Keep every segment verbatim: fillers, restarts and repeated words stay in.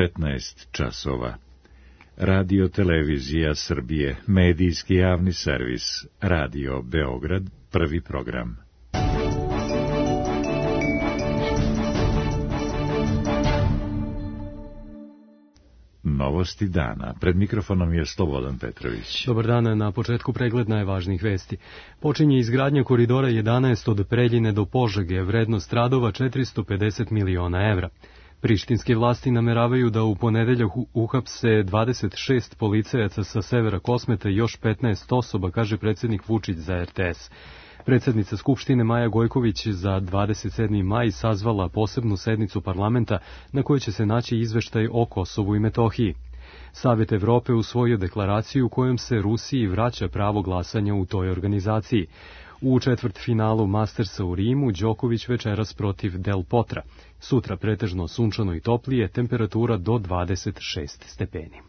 petnaest časova. Radio Televizija Srbije, medijski javni servis, Radio Beograd, prvi program. Novosti dana. Pred mikrofonom je Slobodan Petrović. Dobar dan, na početku pregled najvažnijih vesti. Počinje izgradnja koridora jedanaest od Preljine do Požege, vrednost radova četiristo pedeset miliona evra. Prištinske vlasti nameravaju da u ponedeljak uhapse dvadeset šest policajaca sa severa Kosmeta i još petnaest osoba, kaže predsjednik Vučić za er te es. Predsjednica Skupštine Maja Gojković za dvadeset sedmi maj sazvala posebnu sednicu parlamenta na kojoj će se naći izveštaj o Kosovu i Metohiji. Savet Evrope usvojio deklaraciju kojom se Rusiji vraća pravo glasanja u toj organizaciji. U četvrtfinalu Mastersa u Rimu Đoković večeras protiv Del Potra. Sutra pretežno sunčano i toplije, temperatura do dvadeset šest stepeni.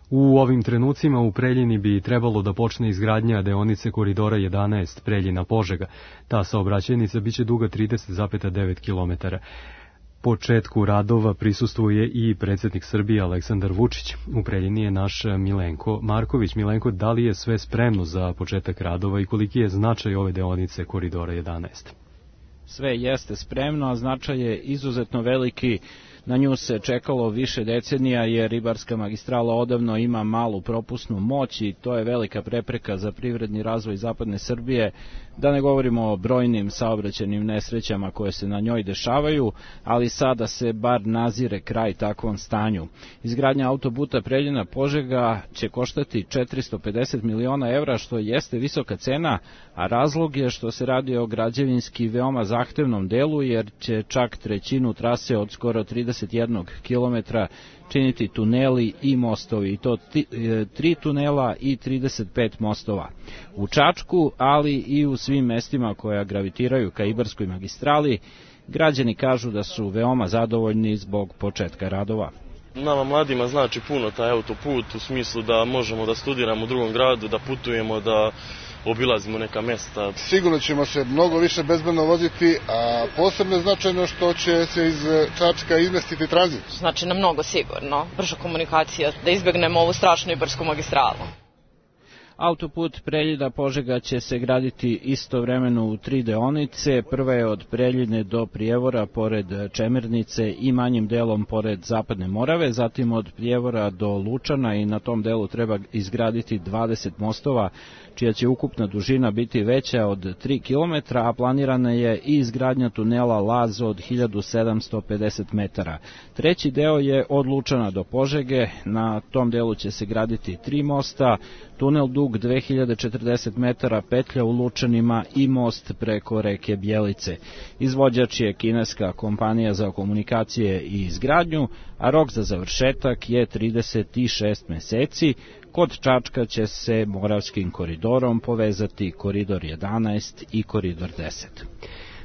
U ovim trenucima u Preljini bi trebalo da počne izgradnja deonice koridora jedanaest Preljina-Požega. Ta saobraćajnica biće duga trideset zarez devet kilometara. Početku radova prisustvuje i predsjednik Srbije Aleksandar Vučić. U Preljini je naš Milenko Marković. Milenko, da li je sve spremno za početak radova i koliki je značaj ove deonice koridora jedanaest? Sve jeste spremno, a značaj je izuzetno veliki. Na nju se čekalo više decenija jer ribarska magistrala odavno ima malu propusnu moć i to je velika prepreka za privredni razvoj zapadne Srbije, da ne govorimo o brojnim saobraćajnim nesrećama koje se na njoj dešavaju, ali sada se bar nazire kraj takvom stanju. Izgradnja autoputa Preljina-Požega će koštati četiristo pedeset miliona evra, što jeste visoka cena, a razlog je što se radi o građevinski veoma zahtevnom delu, jer će čak trećinu trase od skoro trideset jedan kilometra činiti tuneli i mostovi, i to tri tunela i trideset pet mostova. U Čačku, ali i u svim mestima koja gravitiraju ka Ibarskoj magistrali, građani kažu da su veoma zadovoljni zbog početka radova. Nama mladima znači puno taj autoput, u smislu da možemo da studiramo u drugom gradu, da putujemo, da obilazimo neka mesta. Sigurno ćemo se mnogo više bezbedno voziti, a posebno je značajno što će se iz Čačka izmestiti tranzit. Znači nam mnogo sigurno, brža komunikacija, da izbegnemo ovu strašnu Ibarsku magistralu. Autoput Preljina-Požega će se graditi istovremeno u tri deonice. Prva je od Preljine do Prijevora pored Čemernice i manjim delom pored Zapadne Morave, zatim od Prijevora do Lučana i na tom delu treba izgraditi dvadeset mostova, čija će ukupna dužina biti veća od tri kilometra, a planirana je i izgradnja tunela Laz od hiljadu sedamsto pedeset metara. Treći deo je od Lučana do Požege, na tom delu će se graditi tri mosta, tunel dug dve hiljade četrdeset metara, petlja u Lučanima i most preko reke Bjelice. Izvođač je kineska kompanija za komunikacije i izgradnju, a rok za završetak je trideset šest meseci. Kod Čačka će se Moravskim koridorom povezati koridor jedanaest i koridor deset.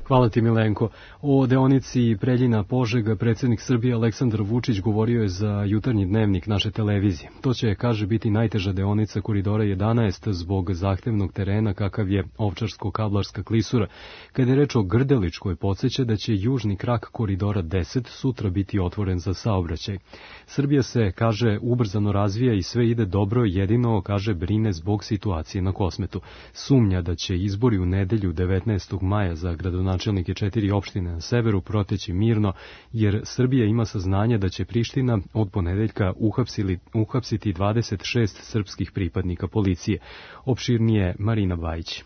Hvala ti, Milenko. O deonici Preljina-Požega predsjednik Srbije Aleksandar Vučić govorio je za jutarnji dnevnik naše televizije. To će, kaže, biti najteža deonica koridora jedanaest zbog zahtevnog terena kakav je Ovčarsko-Kablarska klisura. Kada je reč o Grdeličkoj, podsjeća da će južni krak koridora deset sutra biti otvoren za saobraćaj. Srbija se, kaže, ubrzano razvija i sve ide dobro, jedino, kaže, brine zbog situacije na Kosmetu. Sumnja da će izbori u nedelju devetnaestog maja za gradonačelnike četiri opštine na severu proteći mirno, jer Srbija ima saznanje da će Priština od ponedeljka uhapsili, uhapsiti dvadeset šest srpskih pripadnika policije. Opširnije Marina Bajić.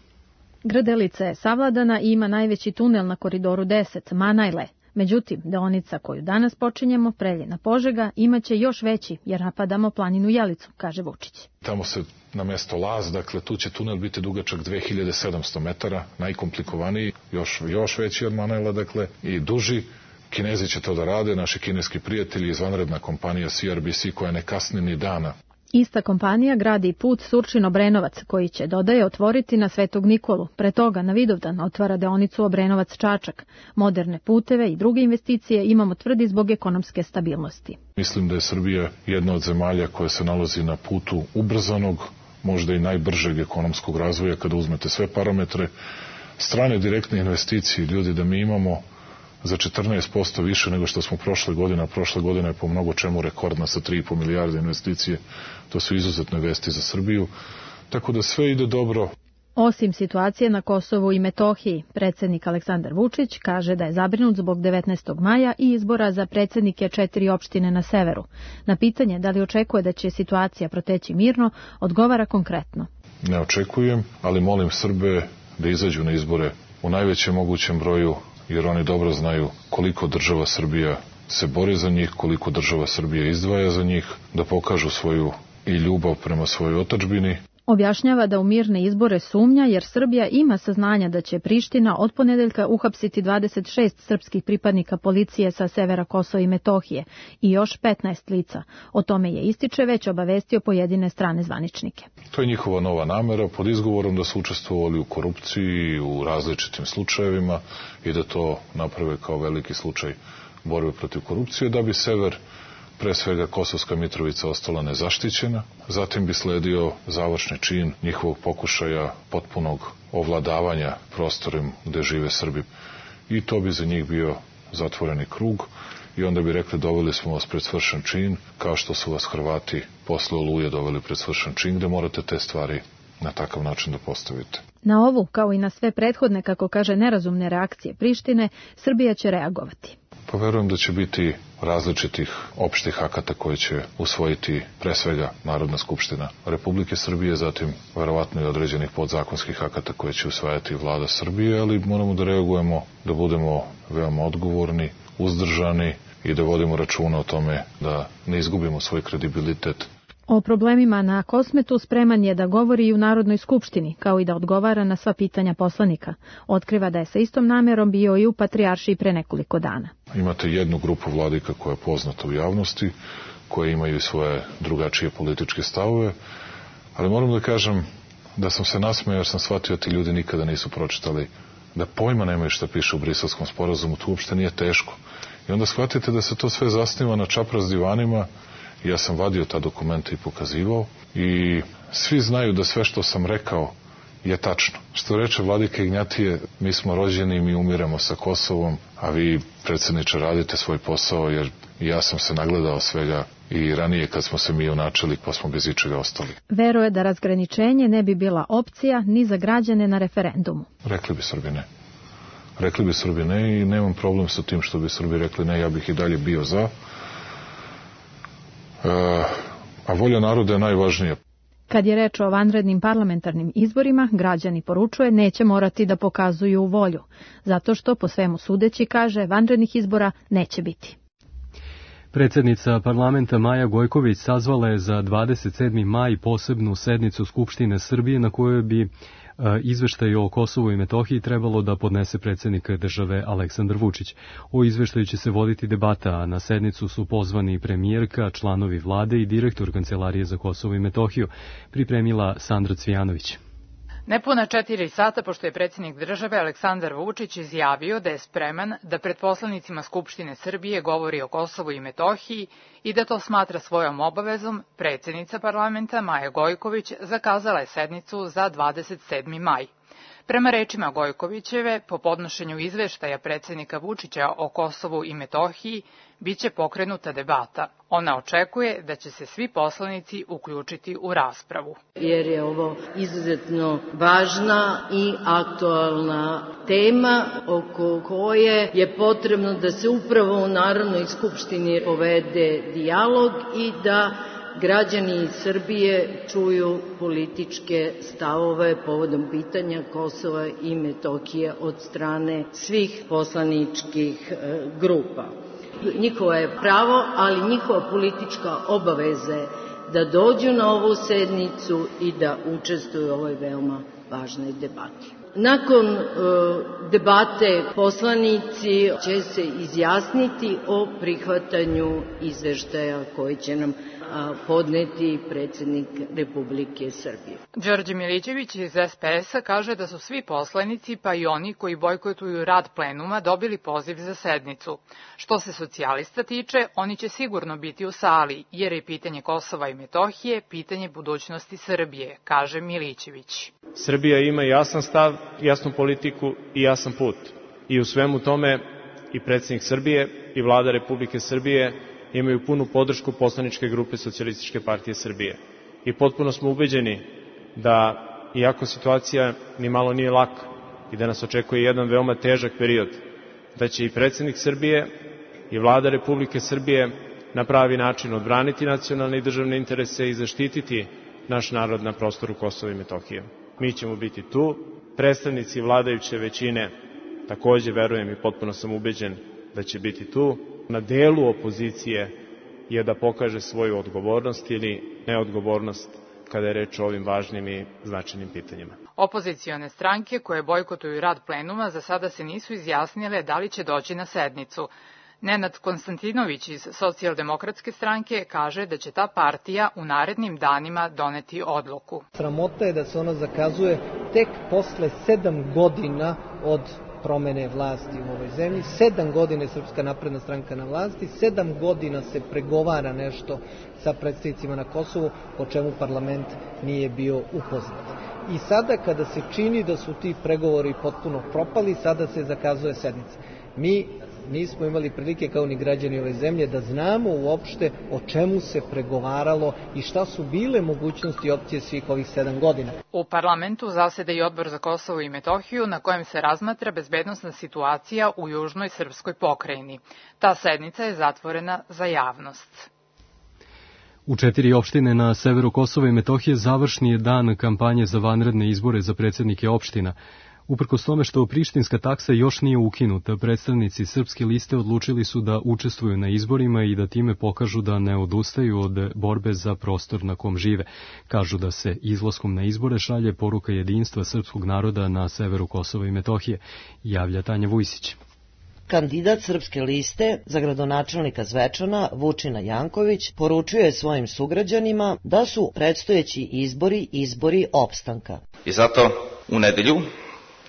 Grdelica je savladana i ima najveći tunel na koridoru deset, Manajle. Međutim, deonica koju danas počinjemo, Preljina-Požega, imaće još veći, jer napadamo planinu Jelicu, kaže Vučić. Tamo se na mesto Laz, dakle tu će tunel biti dugačak dve hiljade sedamsto metara, najkomplikovaniji, još, još veći od Manajla, dakle, i duži. Kinezi će to da rade, naši kineski prijatelji, izvanredna kompanija C R B C koja ne kasni ni dana. Ista kompanija gradi put Surčin-Obrenovac, koji će, dodaje, otvoriti na Svetog Nikolu. Pre toga na Vidovdan otvara deonicu Obrenovac-Čačak. Moderne puteve i druge investicije imamo, tvrdi, zbog ekonomske stabilnosti. Mislim da je Srbija jedna od zemalja koja se nalazi na putu ubrzanog, možda i najbržeg ekonomskog razvoja kada uzmete sve parametre. Strane direktne investicije, ljudi, da mi imamo za četrnaest posto više nego što smo prošle godine, a prošle godine je po mnogo čemu rekordna sa tri i po milijarde investicije. To su izuzetne vesti za Srbiju, tako da sve ide dobro. Osim situacije na Kosovu i Metohiji, predsjednik Aleksandar Vučić kaže da je zabrinut zbog devetnaestog maja i izbora za predsjednike četiri opštine na severu. Na pitanje da li očekuje da će situacija proteći mirno, odgovara konkretno. Ne očekujem, ali molim Srbe da izađu na izbore u najvećem mogućem broju, jer oni dobro znaju koliko država Srbija se bori za njih, koliko država Srbija izdvaja za njih, da pokažu svoju i ljubav prema svojoj otadžbini. Objašnjava da u mirne izbore sumnja jer Srbija ima saznanja da će Priština od ponedeljka uhapsiti dvadeset šest srpskih pripadnika policije sa severa Kosova i Metohije i još petnaest lica. O tome je ističe već obavestio pojedine strane zvaničnike. To je njihova nova namera pod izgovorom da su učestvovali u korupciji, u različitim slučajevima i da to naprave kao veliki slučaj borbe protiv korupcije, da bi sever, pre svega Kosovska Mitrovica, ostala nezaštićena. Zatim bi sledio završni čin njihovog pokušaja potpunog ovladavanja prostorom gde žive Srbi. I to bi za njih bio zatvoreni krug i onda bi rekli doveli smo vas pred svršen čin, kao što su vas Hrvati posle Oluje doveli pred svršen čin, gde morate te stvari na takav način da postavite. Na ovu, kao i na sve prethodne, kako kaže, nerazumne reakcije Prištine, Srbija će reagovati. Pa verujem da će biti različitih opštih akata koje će usvojiti pre svega Narodna skupština Republike Srbije, zatim verovatno i određenih podzakonskih akata koje će usvajati vlada Srbije, ali moramo da reagujemo, da budemo veoma odgovorni, uzdržani i da vodimo računa o tome da ne izgubimo svoj kredibilitet. O problemima na Kosmetu spreman je da govori i u Narodnoj skupštini, kao i da odgovara na sva pitanja poslanika. Otkriva da je sa istom namerom bio i u Patrijaršiji pre nekoliko dana. Imate jednu grupu vladika koja je poznata u javnosti, koje imaju svoje drugačije političke stavove, ali moram da kažem da sam se nasmejao jer sam shvatio da ti ljudi nikada nisu pročitali, da pojma nemaju šta piše u Briselskom sporazumu, to uopšte nije teško. I onda shvatite da se to sve zasniva na čapraz divanima. Ja sam vadio ta dokumenta i pokazivao i svi znaju da sve što sam rekao je tačno. Što reče vladika Ignjatije, mi smo rođeni i mi umiramo sa Kosovom, a vi, predsjedniče, radite svoj posao, jer ja sam se nagledao svega i ranije kad smo se mi unačili pa smo bez ičega ostali. Veruje da razgraničenje ne bi bila opcija ni za građane na referendumu. Rekli bi Srbi ne. Rekli bi Srbi ne i nemam problem sa tim što bi Srbi rekli ne, ja bih i dalje bio za. A volja naroda je najvažnija. Kad je reč o vanrednim parlamentarnim izborima, građani, poručuje, neće morati da pokazuju volju, zato što, po svemu sudeći, kaže, vanrednih izbora neće biti. Predsjednica parlamenta Maja Gojković sazvala je za dvadeset sedmi maj posebnu sednicu Skupštine Srbije na kojoj bi izveštaj o Kosovu i Metohiji trebalo da podnese predsjednik države Aleksandar Vučić. O izveštaju će se voditi debata, a na sednicu su pozvani premijerka, članovi vlade i direktor Kancelarije za Kosovo i Metohiju, pripremila Sandra Cvijanović. Nepuna četiri sata pošto je predsjednik države Aleksandar Vučić izjavio da je spreman da pred poslanicima Skupštine Srbije govori o Kosovu i Metohiji i da to smatra svojom obavezom, predsjednica parlamenta Maja Gojković zakazala je sednicu za dvadeset sedmi maj. Prema rečima Gojkovićeve, po podnošenju izveštaja predsjednika Vučića o Kosovu i Metohiji, biće pokrenuta debata. Ona očekuje da će se svi poslanici uključiti u raspravu. Jer je ovo izuzetno važna i aktualna tema oko koje je potrebno da se upravo u Narodnoj skupštini povede dijalog i da građani iz Srbije čuju političke stavove povodom pitanja Kosova i Metohije od strane svih poslaničkih grupa. Njihovo je pravo, ali njihova politička obaveza je da dođu na ovu sednicu i da učestvuju u ovoj veoma važnoj debati. Nakon e, debate poslanici će se izjasniti o prihvatanju izveštaja koji će nam a, podneti predsjednik Republike Srbije. Đorđe Milićević iz es pe es a kaže da su svi poslanici, pa i oni koji bojkotuju rad plenuma, dobili poziv za sednicu. Što se socijalista tiče, oni će sigurno biti u sali, jer je pitanje Kosova i Metohije pitanje budućnosti Srbije, kaže Milićević. Srbija ima jasan stav, jasnu politiku i jasan put. I u svemu tome i predsjednik Srbije i Vlada Republike Srbije imaju punu podršku poslaničke grupe Socijalističke partije Srbije. I potpuno smo ubeđeni da, iako situacija ni malo nije laka i da nas očekuje jedan veoma težak period, da će i predsjednik Srbije i Vlada Republike Srbije na pravi način odbraniti nacionalne i državne interese i zaštititi naš narod na prostoru Kosova i Metohije. Mi ćemo biti tu, predstavnici vladajuće većine takođe verujem i potpuno sam ubeđen da će biti tu. Na delu opozicije je da pokaže svoju odgovornost ili neodgovornost kada je reč o ovim važnim i značajnim pitanjima. Opozicione stranke koje bojkotuju rad plenuma za sada se nisu izjasnile da li će doći na sednicu. Nenad Konstantinović iz Socijaldemokratske stranke kaže da će ta partija u narednim danima doneti odluku. Sramota je da se ona zakazuje tek posle sedam godina od promene vlasti u ovoj zemlji. Sedam godina je Srpska napredna stranka na vlasti, sedam godina se pregovara nešto sa predstavnicima na Kosovu, o čemu parlament nije bio upoznat. I sada kada se čini da su ti pregovori potpuno propali, sada se zakazuje sednica. Mi nismo imali prilike kao ni građani ove zemlje da znamo uopšte o čemu se pregovaralo i šta su bile mogućnosti i opcije svih ovih sedam godina. U parlamentu zaseda i Odbor za Kosovo i Metohiju na kojem se razmatra bezbednosna situacija u južnoj srpskoj pokrajini. Ta sednica je zatvorena za javnost. U četiri opštine na severu Kosova i Metohije završni je dan kampanje za vanredne izbore za predsjednike opština. Uprkos tome što prištinska taksa još nije ukinuta, predstavnici Srpske liste odlučili su da učestvuju na izborima i da time pokažu da ne odustaju od borbe za prostor na kom žive. Kažu da se izlaskom na izbore šalje poruka jedinstva srpskog naroda na severu Kosova i Metohije, javlja Tanja Vujsić. Kandidat Srpske liste za gradonačelnika Zvečana, Vučina Janković, poručuje svojim sugrađanima da su predstojeći izbori izbori opstanka. I zato u nedelju,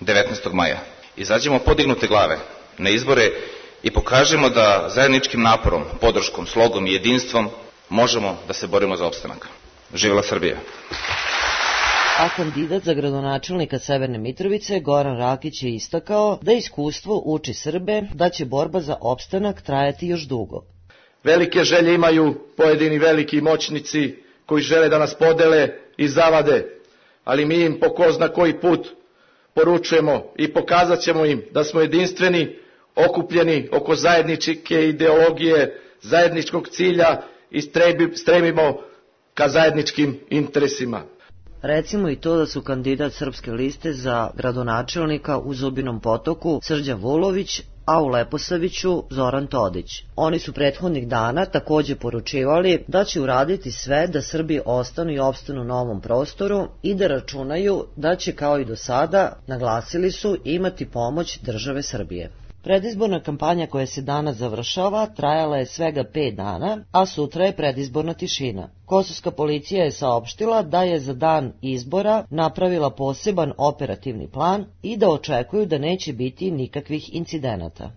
devetnaestog maja, izađemo podignute glave na izbore i pokažemo da zajedničkim naporom, podrškom, slogom i jedinstvom možemo da se borimo za opstanak. Živela Srbija! A kandidat za gradonačelnika Severne Mitrovice, Goran Rakić, je istakao da iskustvo uči Srbe da će borba za opstanak trajati još dugo. Velike želje imaju pojedini veliki moćnici koji žele da nas podele i zavade, ali mi im po ko zna koji put poručujemo i pokazat ćemo im da smo jedinstveni, okupljeni oko zajedničke ideologije, zajedničkog cilja i stremimo ka zajedničkim interesima. Recimo i to da su kandidat Srpske liste za gradonačelnika u Zubinom Potoku Srđan Vulović, a u Leposaviću Zoran Todić. Oni su prethodnih dana takođe poručivali da će uraditi sve da Srbi ostanu i opstanu na ovom prostoru i da računaju da će kao i do sada, naglasili su, imati pomoć države Srbije. Predizborna kampanja koja se danas završava trajala je svega pet dana, a sutra je predizborna tišina. Kosovska policija je saopštila da je za dan izbora napravila poseban operativni plan i da očekuju da neće biti nikakvih incidenata.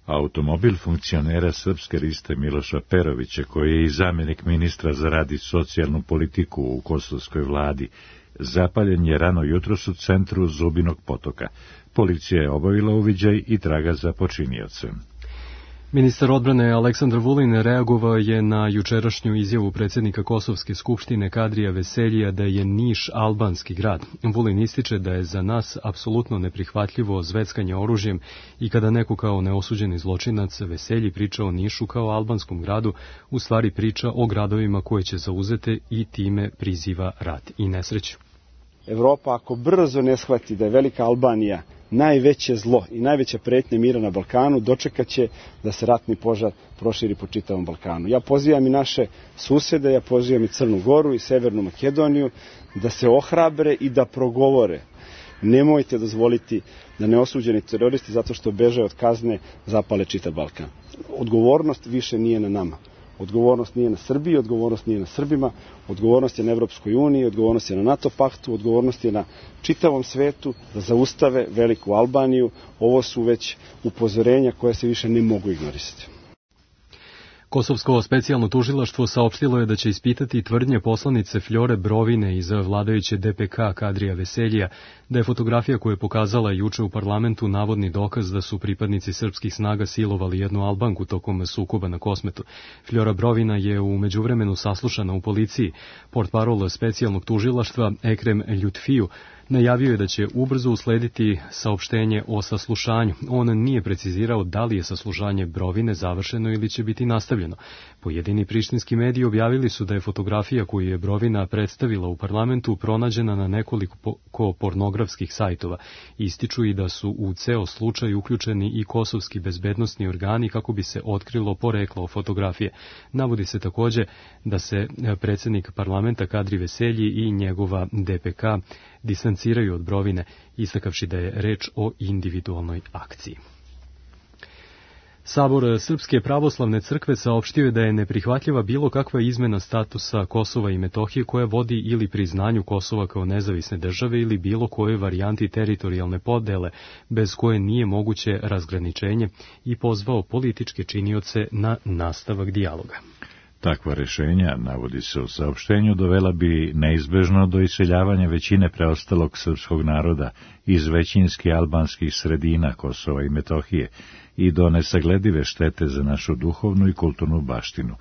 Automobil funkcionera Srpske liste Miloša Perovića, koji je i zamjenik ministra za rad i socijalnu politiku u kosovskoj vladi, zapaljen je rano jutros u centru Zubinog Potoka. Policija je obavila uviđaj i traga za počiniocem. Ministar odbrane Aleksandar Vulin reagovao je na jučerašnju izjavu predsjednika Kosovske skupštine Kadrija Veseljija da je Niš albanski grad. Vulin ističe da je za nas apsolutno neprihvatljivo zveckanje oružjem i kada neko kao neosuđeni zločinac Veselji priča o Nišu kao albanskom gradu, u stvari priča o gradovima koje će zauzete i time priziva rat i nesreću. Evropa ako brzo ne shvati da je Velika Albanija najveće zlo i najveća pretnja mira na Balkanu, dočekaće da se ratni požar proširi po čitavom Balkanu. Ja pozivam i naše susede, ja pozivam i Crnu Goru i Severnu Makedoniju da se ohrabre i da progovore. Nemojte dozvoliti da neosuđeni teroristi, zato što beže od kazne, zapale čitav Balkan. Odgovornost više nije na nama. Odgovornost nije na Srbiji, odgovornost nije na Srbima, odgovornost je na Evropskoj uniji, odgovornost je na NATO paktu, odgovornost je na čitavom svetu da zaustave Veliku Albaniju. Ovo su već upozorenja koje se više ne mogu ignorisati. Kosovsko specijalno tužilaštvo saopštilo je da će ispitati tvrdnje poslanice Fljore Brovine iz vladajuće D P K Kadrija Veseljija, da je fotografija koju je pokazala juče u parlamentu navodni dokaz da su pripadnici srpskih snaga silovali jednu Albanku tokom sukoba na Kosmetu. Fljora Brovina je u međuvremenu saslušana u policiji. Portparol specijalnog tužilaštva Ekrem Ljutfiju najavio je da će ubrzo uslediti saopštenje o saslušanju. On nije precizirao da li je saslušanje Brovine završeno ili će biti nastavljeno. Pojedini prištinski mediji objavili su da je fotografija koju je Brovina predstavila u parlamentu pronađena na nekoliko pornografskih sajtova. Ističu i da su u ceo slučaj uključeni i kosovski bezbednosni organi kako bi se otkrilo poreklo fotografije. Navodi se takođe da se predsjednik parlamenta Kadri Veselji i njegova D P K distanciraju od Brovine, istakavši da je reč o individualnoj akciji. Sabor Srpske pravoslavne crkve saopštio je da je neprihvatljiva bilo kakva izmena statusa Kosova i Metohije koja vodi ili priznanju Kosova kao nezavisne države ili bilo kojoj varijanti teritorijalne podele bez koje nije moguće razgraničenje i pozvao političke činioce na nastavak dijaloga. Takva rešenja, navodi se u saopštenju, dovela bi neizbežno do iseljavanja većine preostalog srpskog naroda iz većinski albanskih sredina Kosova i Metohije i do nesagledive štete za našu duhovnu i kulturnu baštinu.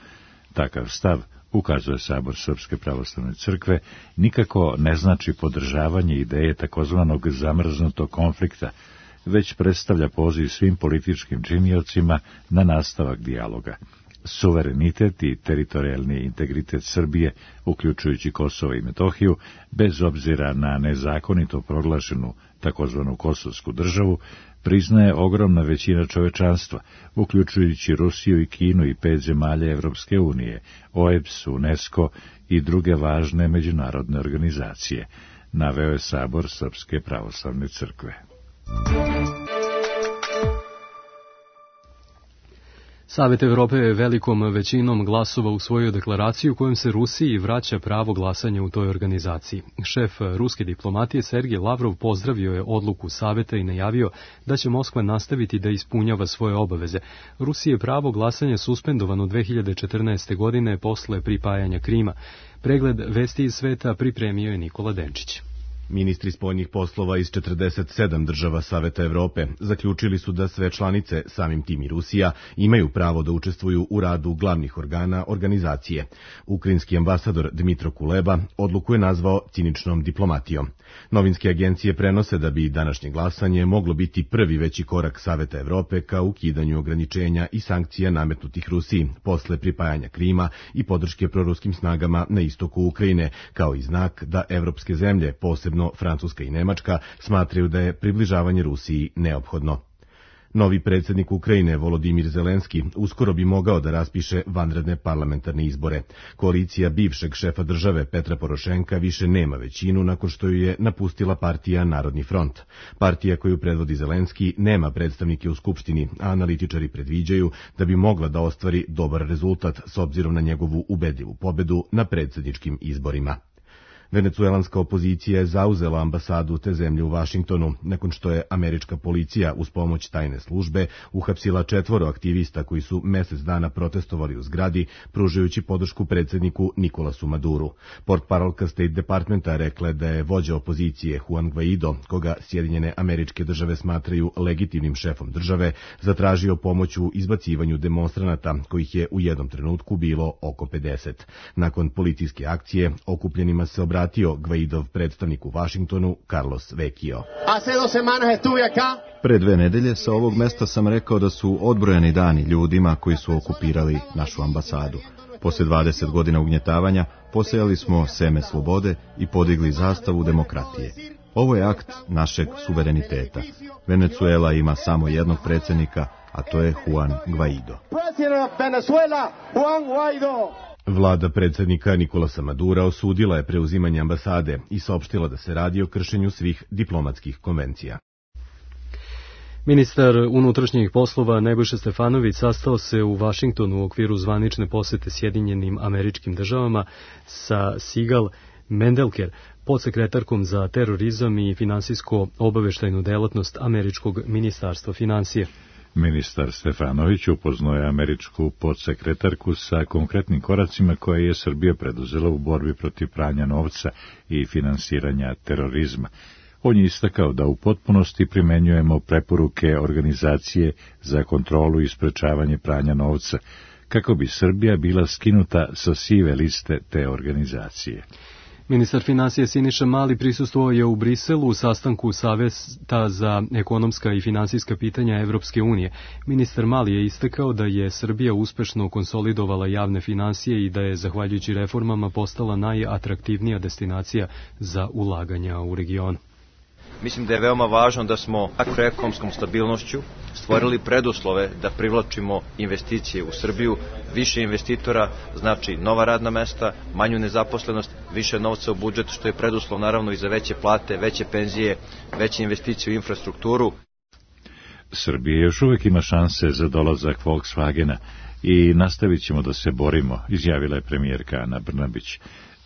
Takav stav, ukazuje Sabor Srpske pravoslavne crkve, nikako ne znači podržavanje ideje takozvanog zamrznutog konflikta, već predstavlja poziv svim političkim činiocima na nastavak dijaloga. Suverenitet i teritorijalni integritet Srbije, uključujući Kosovo i Metohiju, bez obzira na nezakonito proglašenu takozvanu kosovsku državu, priznaje ogromna većina čovečanstva, uključujući Rusiju i Kinu i pet zemalja Evropske unije, O E B S, UNESCO i druge važne međunarodne organizacije, naveo je Sabor Srpske pravoslavne crkve. Savet Evrope je velikom većinom glasova usvojio deklaraciju kojom se Rusiji vraća pravo glasanja u toj organizaciji. Šef ruske diplomatije Sergej Lavrov pozdravio je odluku Saveta i najavio da će Moskva nastaviti da ispunjava svoje obaveze. Rusiji je pravo glasanja suspendovano dve hiljade četrnaeste. godine posle pripajanja Krima. Pregled vesti iz sveta pripremio je Nikola Denčić. Ministri spoljnih poslova iz četrdeset sedam država Saveta Evrope zaključili su da sve članice, samim tim i Rusija, imaju pravo da učestvuju u radu glavnih organa organizacije. Ukrajinski ambasador Dmitro Kuleba odluku je nazvao ciničnom diplomatijom. Novinske agencije prenose da bi današnje glasanje moglo biti prvi veći korak Saveta Evrope ka ukidanju ograničenja i sankcija nametnutih Rusiji posle pripajanja Krima i podrške proruskim snagama na istoku Ukrajine, kao i znak da evropske zemlje, posebno Francuska i Nemačka, smatraju da je približavanje Rusiji neophodno. Novi predsjednik Ukrajine, Volodimir Zelenski, uskoro bi mogao da raspiše vanredne parlamentarne izbore. Koalicija bivšeg šefa države Petra Porošenka više nema većinu nakon što ju je napustila partija Narodni front. Partija koju predvodi Zelenski nema predstavnike u Skupštini, a analitičari predviđaju da bi mogla da ostvari dobar rezultat s obzirom na njegovu ubedljivu pobedu na predsjedničkim izborima. Venecuelanska opozicija je zauzela ambasadu te zemlje u Vašingtonu, nakon što je američka policija uz pomoć tajne službe uhapsila četvoro aktivista koji su mesec dana protestovali u zgradi, pružajući podršku predsjedniku Nikolasu Maduru. Portparolka State Departmenta rekla da je vođa opozicije Juan Guaido, koga Sjedinjene Američke Države smatraju legitimnim šefom države, zatražio pomoć u izbacivanju demonstranata, kojih je u jednom trenutku bilo oko pedeset. Nakon policijske akcije, okupljenima se obratio Guaidov predstavnik u Vašingtonu, Carlos Vecchio. Pre dve nedelje sa ovog mesta sam rekao da su odbrojani dani ljudima koji su okupirali našu ambasadu. Posle dvadeset godina ugnjetavanja posejali smo seme slobode i podigli zastavu demokratije. Ovo je akt našeg suvereniteta. Venecuela ima samo jednog predsjednika, a to je Juan Guaido. Vlada predsjednika Nikolasa Madura osudila je preuzimanje ambasade i saopštila da se radi o kršenju svih diplomatskih konvencija. Ministar unutrašnjih poslova Nebojša Stefanović sastao se u Vašingtonu u okviru zvanične posete Sjedinjenim Američkim Državama sa Sigal Mendelker, podsekretarkom za terorizam i finansijsko obaveštajnu delatnost Američkog ministarstva financije. Ministar Stefanović upoznao je američku podsekretarku sa konkretnim koracima koje je Srbija preduzela u borbi protiv pranja novca i finansiranja terorizma. On je istakao da u potpunosti primenjujemo preporuke Organizacije za kontrolu i sprečavanje pranja novca, kako bi Srbija bila skinuta sa sive liste te organizacije. Ministar finansija Siniša Mali prisustvovao je u Briselu u sastanku Saveta za ekonomska i finansijska pitanja Evropske unije. Ministar Mali je istakao da je Srbija uspešno konsolidovala javne finansije i da je, zahvaljujući reformama, postala najatraktivnija destinacija za ulaganja u regionu. Mislim da je veoma važno da smo makroekonomskom stabilnošću stvorili preduslove da privlačimo investicije u Srbiju, više investitora, znači nova radna mesta, manju nezaposlenost, više novca u budžet, što je preduslov naravno i za veće plate, veće penzije, veće investicije u infrastrukturu. Srbija još uvek ima šanse za dolazak Volkswagena i nastavit ćemo da se borimo, izjavila je premijerka Ana Brnabić.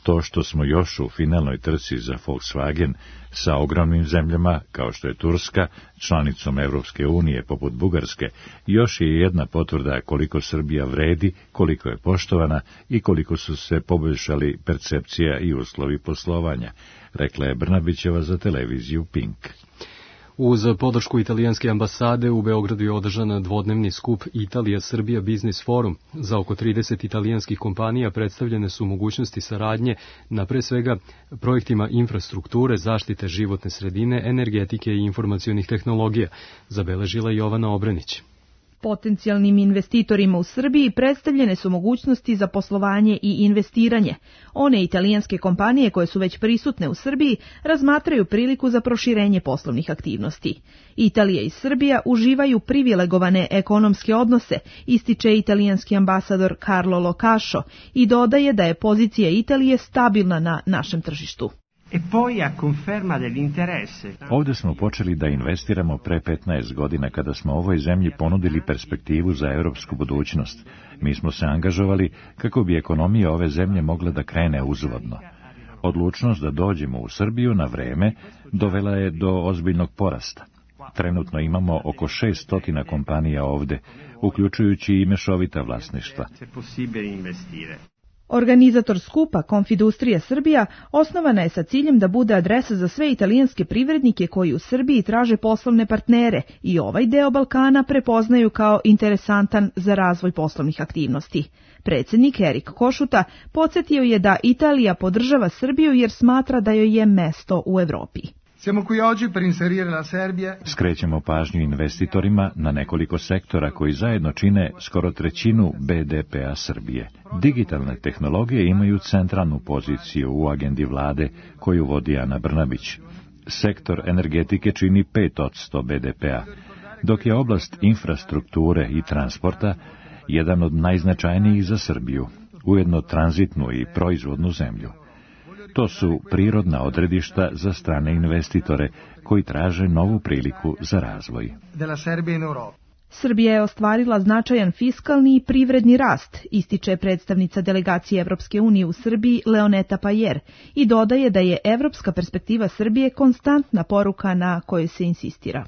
To što smo još u finalnoj trci za Volkswagen sa ogromnim zemljama, kao što je Turska, članicom Evropske unije poput Bugarske, još je jedna potvrda koliko Srbija vredi, koliko je poštovana i koliko su se poboljšali percepcija i uslovi poslovanja, rekla je Brnabićeva za televiziju Pink. Uz podršku italijanske ambasade u Beogradu je održan dvodnevni skup Italija-Srbija Biznis Forum. Za oko trideset italijanskih kompanija predstavljene su mogućnosti saradnje na pre svega projektima infrastrukture, zaštite životne sredine, energetike i informacionih tehnologija, zabeležila Jovana Obrenić. Potencijalnim investitorima u Srbiji predstavljene su mogućnosti za poslovanje i investiranje. One italijanske kompanije koje su već prisutne u Srbiji razmatraju priliku za proširenje poslovnih aktivnosti. Italija i Srbija uživaju privilegovane ekonomske odnose, ističe italijanski ambasador Carlo Locašo i dodaje da je pozicija Italije stabilna na našem tržištu. Ovde smo počeli da investiramo pre petnaest godina kada smo ovoj zemlji ponudili perspektivu za evropsku budućnost. Mi smo se angažovali kako bi ekonomija ove zemlje mogla da krene uzvodno. Odlučnost da dođemo u Srbiju na vreme dovela je do ozbiljnog porasta. Trenutno imamo oko šesto kompanija ovde, uključujući i mešovita vlasništva. Organizator skupa Konfidustrija Srbija osnovana je sa ciljem da bude adresa za sve italijanske privrednike koji u Srbiji traže poslovne partnere i ovaj deo Balkana prepoznaju kao interesantan za razvoj poslovnih aktivnosti. Predsjednik Erik Košuta podsjetio je da Italija podržava Srbiju jer smatra da joj je mesto u Evropi. Skrećemo pažnju investitorima na nekoliko sektora koji zajedno čine skoro trećinu be de pea Srbije. Digitalne tehnologije imaju centralnu poziciju u agendi vlade koju vodi Ana Brnabić. Sektor energetike čini pet posto be de pea, dok je oblast infrastrukture i transporta jedan od najznačajnijih za Srbiju, ujedno tranzitnu i proizvodnu zemlju. To su prirodna odredišta za strane investitore koji traže novu priliku za razvoj. Srbija je ostvarila značajan fiskalni i privredni rast, ističe predstavnica delegacije Evropske unije u Srbiji Leoneta Pajer i dodaje da je evropska perspektiva Srbije konstantna poruka na kojoj se insistira.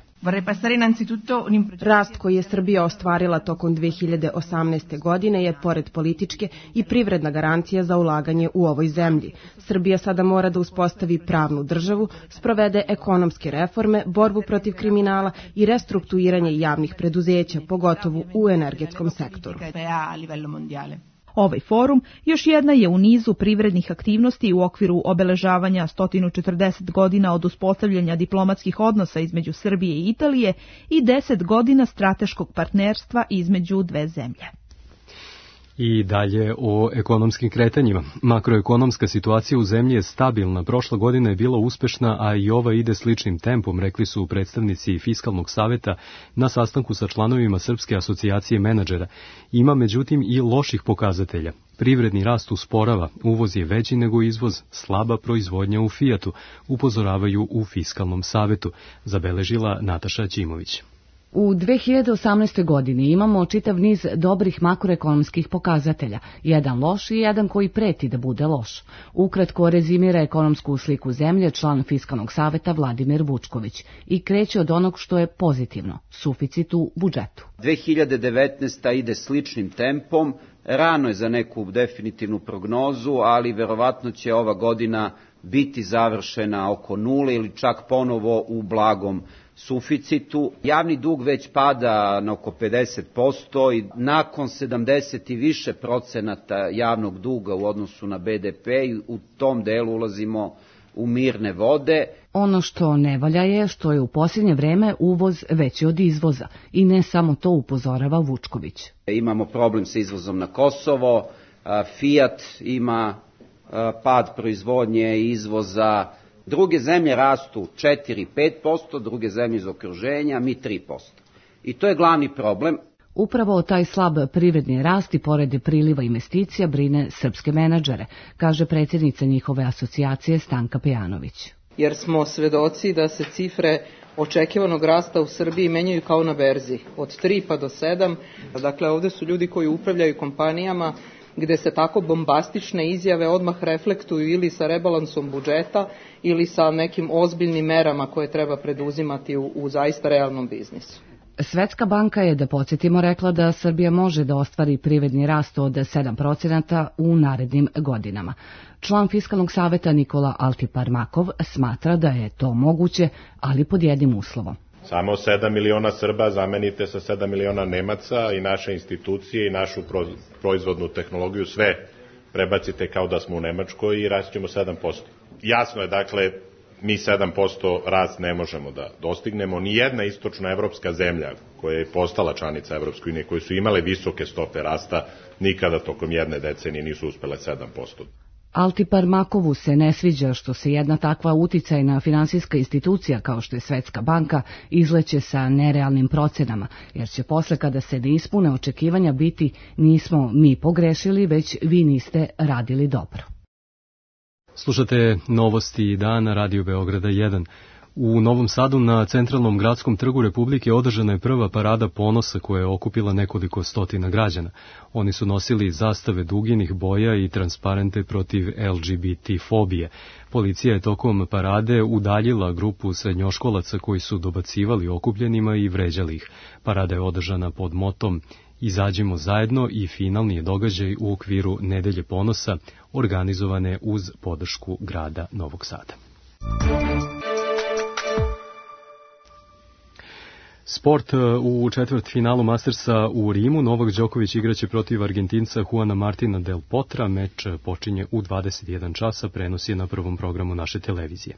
Rast koji je Srbija ostvarila tokom dve hiljade osamnaeste. godine je, pored političke, i privredna garancija za ulaganje u ovoj zemlji. Srbija sada mora da uspostavi pravnu državu, sprovede ekonomske reforme, borbu protiv kriminala i restrukturiranje javnih preduzeća, pogotovo u energetskom sektoru. Ovaj forum još jedna je u nizu privrednih aktivnosti u okviru obeležavanja sto četrdeset godina od uspostavljanja diplomatskih odnosa između Srbije i Italije i deset godina strateškog partnerstva između dve zemlje. I dalje o ekonomskim kretanjima. Makroekonomska situacija u zemlji je stabilna. Prošla godina je bila uspešna, a i ova ide sličnim tempom, rekli su predstavnici Fiskalnog saveta na sastanku sa članovima Srpske asocijacije menadžera. Ima međutim i loših pokazatelja. Privredni rast usporava, uvoz je veći nego izvoz, slaba proizvodnja u Fijatu, upozoravaju u Fiskalnom savetu, zabeležila Nataša Ćimović. U dve hiljade osamnaestoj. godini imamo čitav niz dobrih makroekonomskih pokazatelja, jedan loš i jedan koji preti da bude loš. Ukratko rezimira ekonomsku sliku zemlje član Fiskalnog saveta Vladimir Vučković i kreće od onog što je pozitivno, suficit u budžetu. dve hiljade devetnaesta. ide sličnim tempom, rano je za neku definitivnu prognozu, ali verovatno će ova godina biti završena oko nule ili čak ponovo u blagom suficitu. Javni dug već pada na oko pedeset posto i nakon sedamdeset i više procenata javnog duga u odnosu na be de pe i u tom delu ulazimo u mirne vode. Ono što ne valja je što je u posljednje vreme uvoz veći od izvoza i ne samo to, upozorava Vučković. Imamo problem sa izvozom na Kosovo, Fiat ima pad proizvodnje i izvoza. Druge zemlje rastu četiri do pet posto, druge zemlje iz okruženja, mi tri posto. I to je glavni problem. Upravo taj slab privredni rast i pored priliva investicija brine srpske menadžere, kaže predsjednica njihove asocijacije Stanka Pejanović. Jer smo svedoci da se cifre očekivanog rasta u Srbiji menjaju kao na berzi, od tri pa do sedam. Dakle, ovde su ljudi koji upravljaju kompanijama gde se tako bombastične izjave odmah reflektuju ili sa rebalansom budžeta ili sa nekim ozbiljnim merama koje treba preduzimati u, u zaista realnom biznisu. Svetska banka je, da podsjetimo, rekla da Srbija može da ostvari privredni rast od sedam procenata u narednim godinama. Član Fiskalnog saveta Nikola Altiparmakov smatra da je to moguće, ali pod jednim uslovom. Samo sedam miliona Srba zamenite sa sedam miliona Nemaca i naše institucije i našu proizvodnu tehnologiju, sve prebacite kao da smo u Nemačkoj i rast ćemo sedam posto. Jasno je, dakle, mi sedam posto rast ne možemo da dostignemo. Nijedna istočnoevropska zemlja koja je postala članica Evropske unije, koje su imale visoke stope rasta, nikada tokom jedne decenije nisu uspele sedam posto. Altiparmakovu se ne sviđa što se jedna takva uticajna finansijska institucija kao što je Svetska banka izleće sa nerealnim procenama, jer će posle kada se ne ispune očekivanja biti nismo mi pogrešili, već vi niste radili dobro. Slušate novosti dana Radio Beograda jedan. U Novom Sadu na centralnom gradskom trgu Republike održana je prva parada ponosa koja je okupila nekoliko stotina građana. Oni su nosili zastave duginih boja i transparente protiv el ge be te fobije. Policija je tokom parade udaljila grupu srednjoškolaca koji su dobacivali okupljenima i vređali ih. Parada je održana pod motom Izađimo zajedno i finalni je događaj u okviru Nedelje ponosa, organizovane uz podršku grada Novog Sada. Sport u četvrtfinalu Mastersa u Rimu. Novak Đoković igraće protiv Argentinca Juana Martina del Potra. Meč počinje u dvadeset jedan časa, prenos je na prvom programu naše televizije.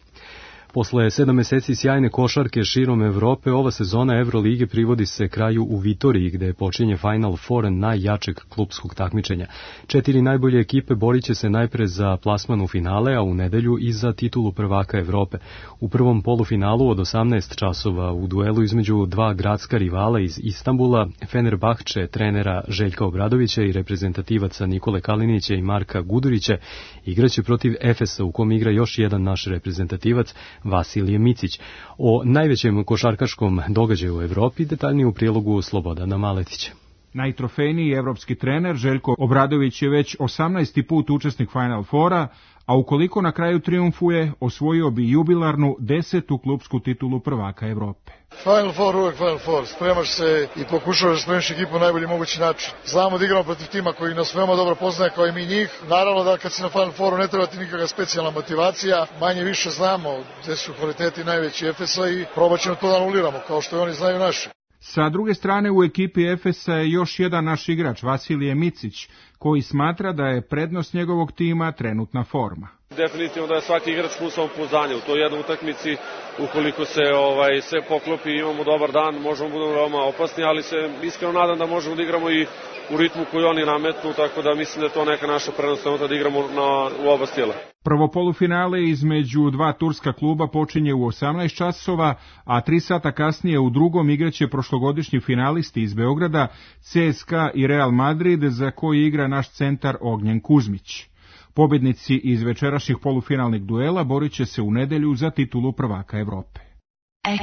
Posle sedam meseci sjajne košarke širom Evrope, ova sezona Evrolige privodi se kraju u Vitoriji, gde počinje Final Four najjačeg klupskog takmičenja. Četiri najbolje ekipe borit će se najpre za plasman u finale, a u nedelju i za titulu prvaka Evrope. U prvom polufinalu od osamnaest časova u duelu između dva gradska rivala iz Istanbula, Fenerbahče trenera Željka Obradovića i reprezentativaca Nikole Kalinića i Marka Gudurića, igraće protiv Efesa u kom igra još jedan naš reprezentativac, Vasilije Micić. O najvećem košarkaškom događaju u Evropi detaljnije u prilogu Slobodana Maletića. Najtrofejniji evropski trener Željko Obradović je već osamnaesti put učesnik Final Fora, a ukoliko na kraju triumfuje, osvojio bi jubilarnu desetu klupsku titulu prvaka Evrope. Final Four, uvek Final Four. Spremaš se i pokušavaš da spremiš ekipu na najbolji mogući način. Znamo da igramo protiv tima koji nas veoma dobro poznaje kao i mi njih. Naravno da kad si na Final Fouru ne treba ti nikakva specijalna motivacija. Manje više znamo gde su kvaliteti najveći Efesa i probat ćemo to da anuliramo, kao što i oni znaju naše. Sa druge strane, u ekipi Efesa je još jedan naš igrač, Vasilije Micić, koji smatra da je prednost njegovog tima trenutna forma. Definitivno da je svaki igrač pun samopouzdanja u toj jednoj utakmici. Ukoliko se ovaj sve poklopi i imamo dobar dan, možemo budemo veoma opasni, ali se iskreno nadam da možemo da igramo i u ritmu koji oni nametnu, tako da mislim da je to neka naša prednost da igramo na, u oba stila. Prvo polufinale između dva turska kluba počinje u osamnaest časova, a tri sata kasnije u drugom igraće prošlogodišnji finalisti iz Beograda, ce es ka a i Real Madrid, za koji igra naš centar Ognjen Kuzmić. Pobednici iz večerašnjih polufinalnih duela borit će se u nedelju za titulu prvaka Evrope.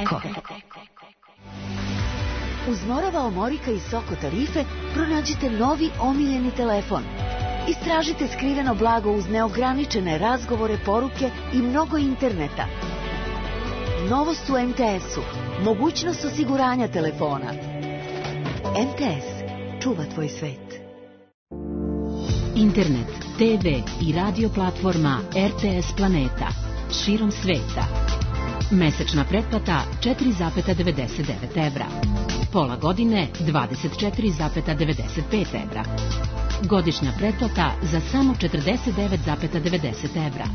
Eko. Uz Morava Omorika i Soko tarife pronađite novi omiljeni telefon. Istražite skriveno blago uz neograničene razgovore, poruke i mnogo interneta. Novost u em te esu. Mogućnost osiguranja telefona. em te es. Čuva tvoj svet. Internet, te ve i radio platforma er te es Planeta. Širom sveta. Mesečna pretplata četiri zarez devedeset devet evra. Pola godine dvadeset četiri zarez devedeset pet evra. Godišnja pretplata za samo četrdeset devet zarez devedeset evra.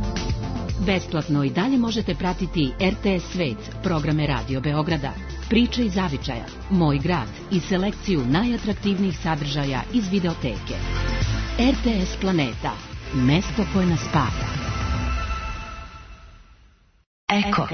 Besplatno i dalje možete pratiti er te es Svet, programe Radio Beograda, priče iz zavičaja, Moj grad i selekciju najatraktivnijih sadržaja iz videoteke. er te es Planeta, mesto koje nas spaja. Eko.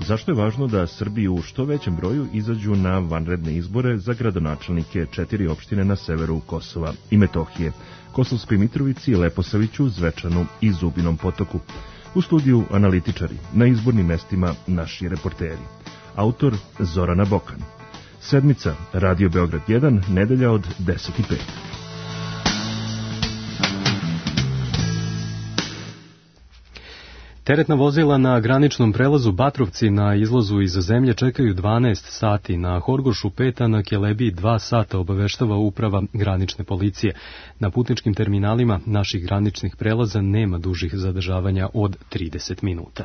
Zašto je važno da Srbi u što većem broju izađu na vanredne izbore za gradonačelnike četiri opštine na severu Kosova i Metohije, Kosovskoj Mitrovici, Leposaviću, Zvečanu i Zubinom Potoku? U studiju analitičari, na izbornim mestima naši reporteri. Autor Zorana Bokan. Sedmica, Radio Beograd jedan, nedelja od deset i pet. Teretna vozila na graničnom prelazu Batrovci na izlazu iz zemlje čekaju dvanaest sati, na Horgošu pet, a na Kelebiji dva sata, obaveštava uprava granične policije. Na putničkim terminalima naših graničnih prelaza nema dužih zadržavanja od trideset minuta.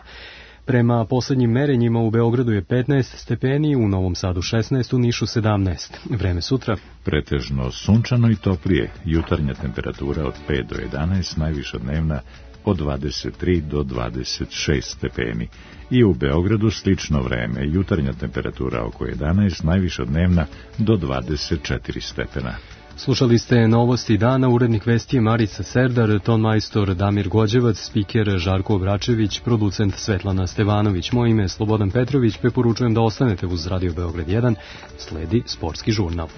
Prema poslednjim merenjima u Beogradu je petnaest stepeni, u Novom Sadu šesnaest, u Nišu sedamnaest. Vreme sutra? Pretežno sunčano i toplije, jutarnja temperatura od pet do jedanaest, najviša dnevna od dvadeset tri do dvadeset šest stepeni. I u Beogradu slično vreme, jutarnja temperatura oko jedanaest, najviša dnevna do dvadeset četiri stepena. Slušali ste novosti dana, urednik vesti je Marica Serdar, tonmajstor Damir Gođevac, spiker Žarko Obračević, producent Svetlana Stevanović. Moje ime je Slobodan Petrović, preporučujem da ostanete uz Radio Beograd jedan, sledi sportski žurnal.